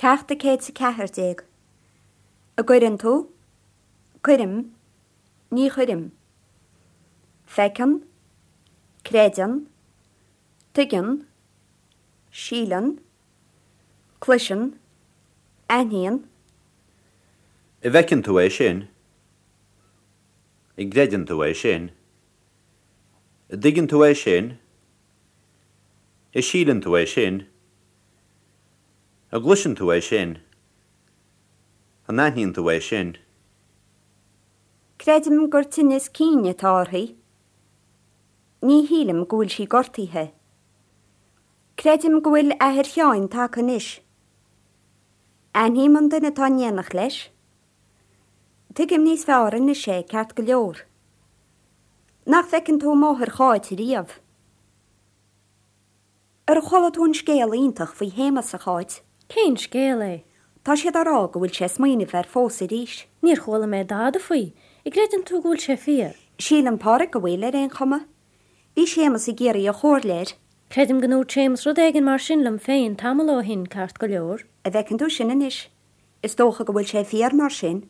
Ceacht 114. An gcuireann tú? Cuirim. Ní chuirim. Feiceann. Creideann. Tuigeann. Síleann. Cloiseann. Aithníonn. An bhfeiceann tú é sin? An gcreideann tú é sin? An dtuigeann tú é sin? An síleann tú é sin? An gcloiseann tú é sin? An aithníonn tú é sin? Creidim gur tinneas cinn atá uirthi. Ní shílim go bhfuil sí gortaithe. Creidim go bhfuil athair Sheáin tagtha anois. Aithním an duine atá in éineacht leis. Tuigim níos fearr anois é, ceart go leor. Nach bhfeiceann tú máthair Cháit riamh? Ar chuala tú an scéal iontach faoi Shéamas, a Cháit? Cén scéal é? Tá siad á rá go bhfuil sé ag smaoineamh ar phósadh arís. Níor chuala mé dada faoi. An gcreideann tú go bhfuil sé fíor? Síleann Páraic go bhfuil, ar aon chuma. Bhí Séamas ag iarraidh a chomhairle air. Creidim go ndúirt Séamas rud éigin mar sin liom féin tamall ó shin, ceart go leor. An bhfeiceann tú sin anois. Is dócha go bhfuil sé fíor mar sin.